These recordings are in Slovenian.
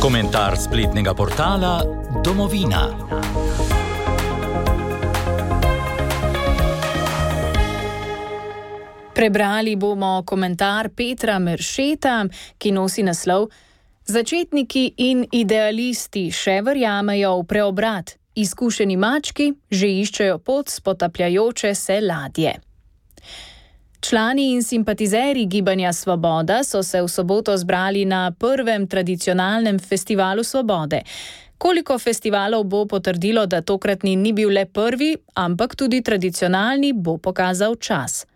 Komentar spletnega portala Domovina. Prebrali bomo komentar Petra Meršeta, ki nosi naslov: Začetniki in idealisti še verjamejo v preobrat, izkušeni mački že iščejo pot s potapljajoče se ladje. Člani in simpatizerji Gibanja Svoboda so se v soboto zbrali na prvem tradicionalnem festivalu svobode. Koliko festivalov bo potrdilo, da tokratni ni bil le prvi, ampak tudi tradicionalni, bo pokazal čas.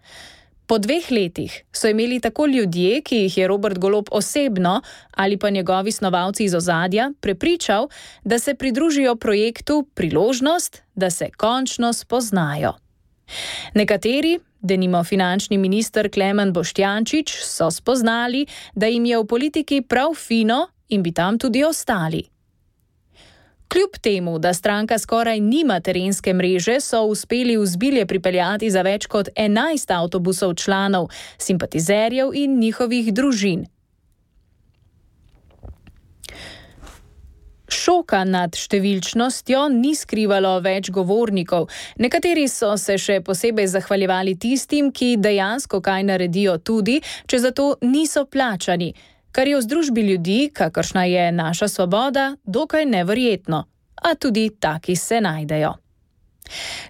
Po 2 letih so imeli tako ljudje, ki jih je Robert Golob osebno ali pa njegovi snovalci iz ozadja prepričal, da se pridružijo projektu, priložnost, da se končno spoznajo. Nekateri, denimo finančni minister Klemen Boštjančič, so spoznali, da jim je v politiki prav fino in bi tam tudi ostali. Kljub temu, da stranka skoraj nima terenske mreže, so uspeli v Zbilje pripeljati za več kot 11 avtobusov članov, simpatizerjev in njihovih družin. Šoka nad številčnostjo ni skrivalo več govornikov. Nekateri so se še posebej zahvaljevali tistim, ki dejansko kaj naredijo tudi, če za to niso plačani, kar je v združbi ljudi, kakršna je naša Svoboda, dokaj neverjetno. A tudi taki se najdejo.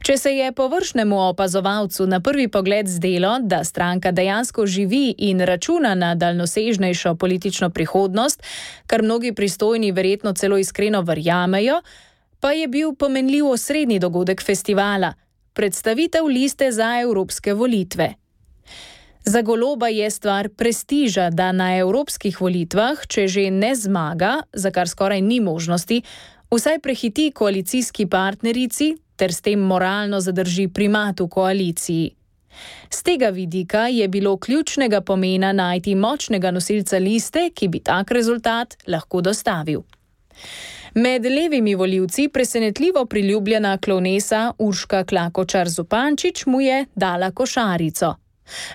Če se je površnemu opazovalcu na prvi pogled zdelo, da stranka dejansko živi in računa na daljnosežnejšo politično prihodnost, kar mnogi pristojni verjetno celo iskreno verjamejo, pa je bil pomenljiv osrednji dogodek festivala, predstavitev liste za evropske volitve. Za Goloba je stvar prestiža, da na evropskih volitvah, če že ne zmaga, za kar skoraj ni možnosti, vsaj prehiti koalicijski partnerici ter s tem moralno zadrži primat v koaliciji. Z tega vidika je bilo ključnega pomena najti močnega nosilca liste, ki bi tak rezultat lahko dostavil. Med levimi volivci presenetljivo priljubljena klovnesa Urška Klakočar Zupančič mu je dala košarico.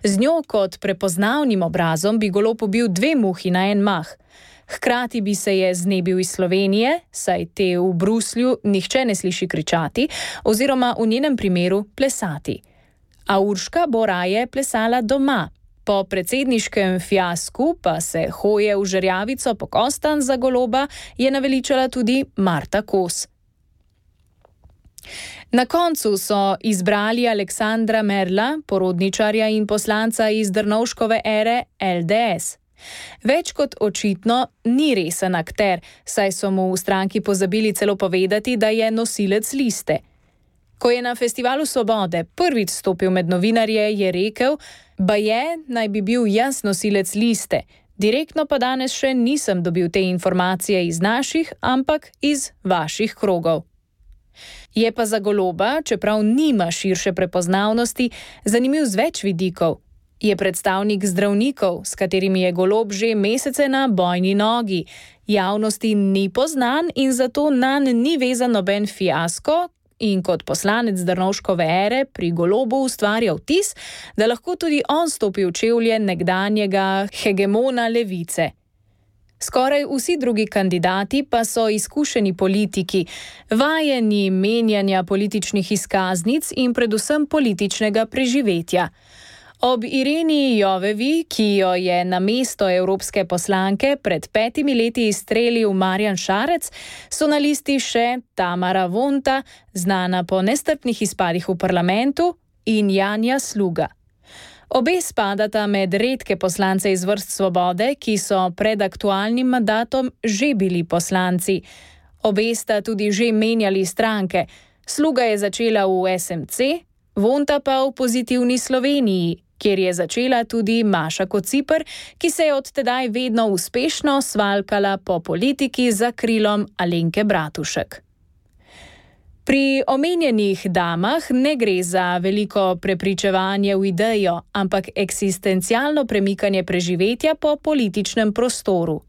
Z njo kot prepoznavnim obrazom bi Golob ubil 2 muhi na en mah. Hkrati bi se je znebil iz Slovenije, saj te v Bruslju nihče ne sliši kričati, oziroma v njenem primeru plesati. A Urška bo raje plesala doma. Po predsedniškem fiasku pa se hoje v žerjavico po kostanj za Goloba je naveličala tudi Marta Kos. Na koncu so izbrali Aleksandra Merla, porodničarja in poslanca iz Drnovškove ere LDS. Več kot očitno ni resen akter, saj so mu v stranki pozabili celo povedati, da je nosilec liste. Ko je na festivalu svobode prvič stopil med novinarje, je rekel, baje naj bi bil jaz nosilec liste, direktno pa danes še nisem dobil te informacije iz naših, ampak iz vaših krogov. Je pa za Goloba, čeprav nima širše prepoznavnosti, zanimiv z več vidikov. Je predstavnik zdravnikov, s katerimi je Golob že mesece na bojni nogi. Javnosti ni poznan in zato nanj ni vezan noben fiasko in kot poslanec Drnovškove ere pri Golobu ustvarja vtis, da lahko tudi on stopi v čevlje nekdanjega hegemona levice. Skoraj vsi drugi kandidati pa so izkušeni politiki, vajeni menjanja političnih izkaznic in predvsem političnega preživetja. Ob Ireni Jovevi, ki jo je na mesto evropske poslanke pred 5 leti izstrelil Marjan Šarec, so na listi še Tamara Vonta, znana po nestrpnih izpadih v parlamentu, in Janja Sluga. Obe spadata med redke poslance iz vrst Svobode, ki so pred aktualnim mandatom že bili poslanci. Obe sta tudi že menjali stranke. Sluga je začela v SMC, Vonta pa v Pozitivni Sloveniji, kjer je začela tudi Maša Kociper, ki se je od tedaj vedno uspešno svalkala po politiki za krilom Alenke Bratušek. Pri omenjenih damah ne gre za veliko prepričevanje v idejo, ampak eksistencialno premikanje preživetja po političnem prostoru.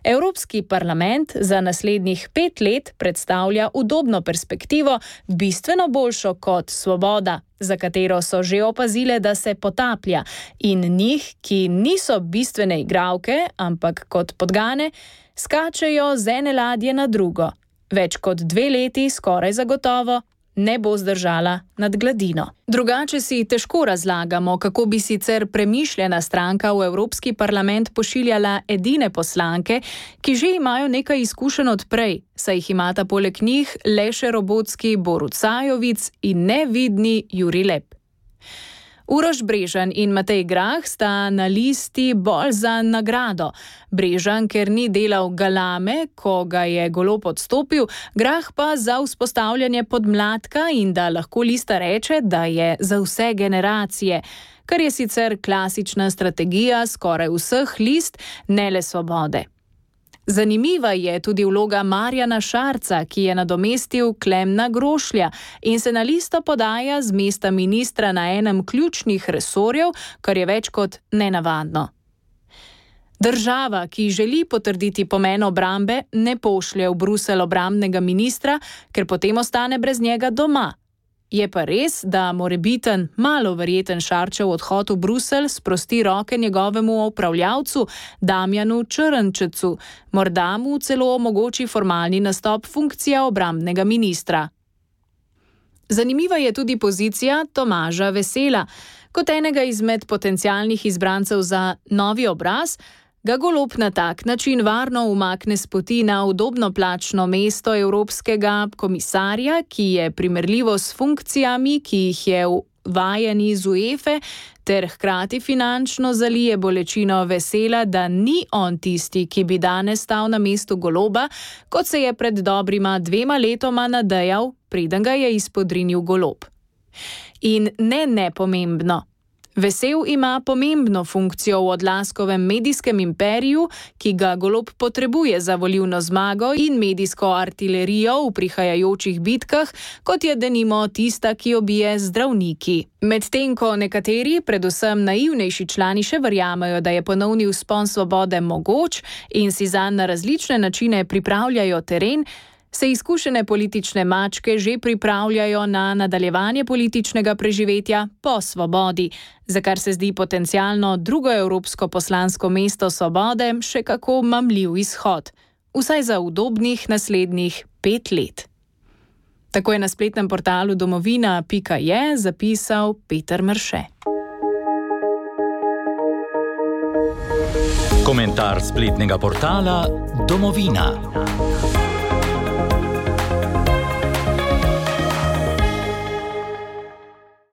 Evropski parlament za naslednjih 5 let predstavlja udobno perspektivo, bistveno boljšo kot Svoboda, za katero so že opazile, da se potaplja, in njih, ki niso bistvene igralke, ampak kot podgane, skačejo z ene ladje na drugo. Več kot 2 leti skoraj zagotovo ne bo zdržala nad gladino. Drugače si težko razlagamo, kako bi sicer premišljena stranka v Evropski parlament pošiljala edine poslanke, ki že imajo nekaj izkušenj odprej, saj jih imata poleg njih le še robotski Borut Sajovic in nevidni Jurij Lep. Uroš Brežan in Matej Grah sta na listi bolj za nagrado. Brežan, ker ni delal galame, ko ga je Golob odstopil, Grah pa za vzpostavljanje podmladka in da lahko lista reče, da je za vse generacije, kar je sicer klasična strategija skoraj vseh list, ne le Svobode. Zanimiva je tudi vloga Marjana Šarca, ki je nadomestil Klemna Grošlja in se na listo podaja z mesta ministra na enem ključnih resorjev, kar je več kot nenavadno. Država, ki želi potrditi pomen obrambe, ne pošlje v Bruselj obrambnega ministra, ker potem ostane brez njega doma. Je pa res, da morebiten, malo verjeten Šarčev odhod v Bruselj sprosti roke njegovemu upravljavcu Damjanu Črnčecu, morda mu celo omogoči formalni nastop funkcija obrambnega ministra. Zanimiva je tudi pozicija Tomaža Vesela. Kot enega izmed potencialnih izbrancev za novi obraz, ga Golob na tak način varno umakne s poti na udobno plačno mesto evropskega komisarja, ki je primerljivo s funkcijami, ki jih je vajen iz UEFA, ter hkrati finančno zalije bolečino Vesela, da ni on tisti, ki bi danes stal na mestu Goloba, kot se je pred dobrima 2 letoma nadejal, preden ga je izpodrinil Golob. In nepomembno. Vesel ima pomembno funkcijo v Odlaskovem medijskem imperiju, ki ga Golob potrebuje za volilno zmago in medijsko artilerijo v prihajajočih bitkah, kot je denimo tista, ki jo bije zdravniki. Medtem ko nekateri, predvsem naivnejši člani, še verjamejo, da je ponovni vzpon Svobode mogoč in si zanj na različne načine pripravljajo teren, se izkušene politične mačke že pripravljajo na nadaljevanje političnega preživetja po Svobodi, za kar se zdi potencialno drugo evropsko poslansko mesto Svobode še kako mamljiv izhod, vsaj za udobnih naslednjih 5 let. Tako je na spletnem portalu domovina.je zapisal Peter Mrše. Komentar spletnega portala Domovina.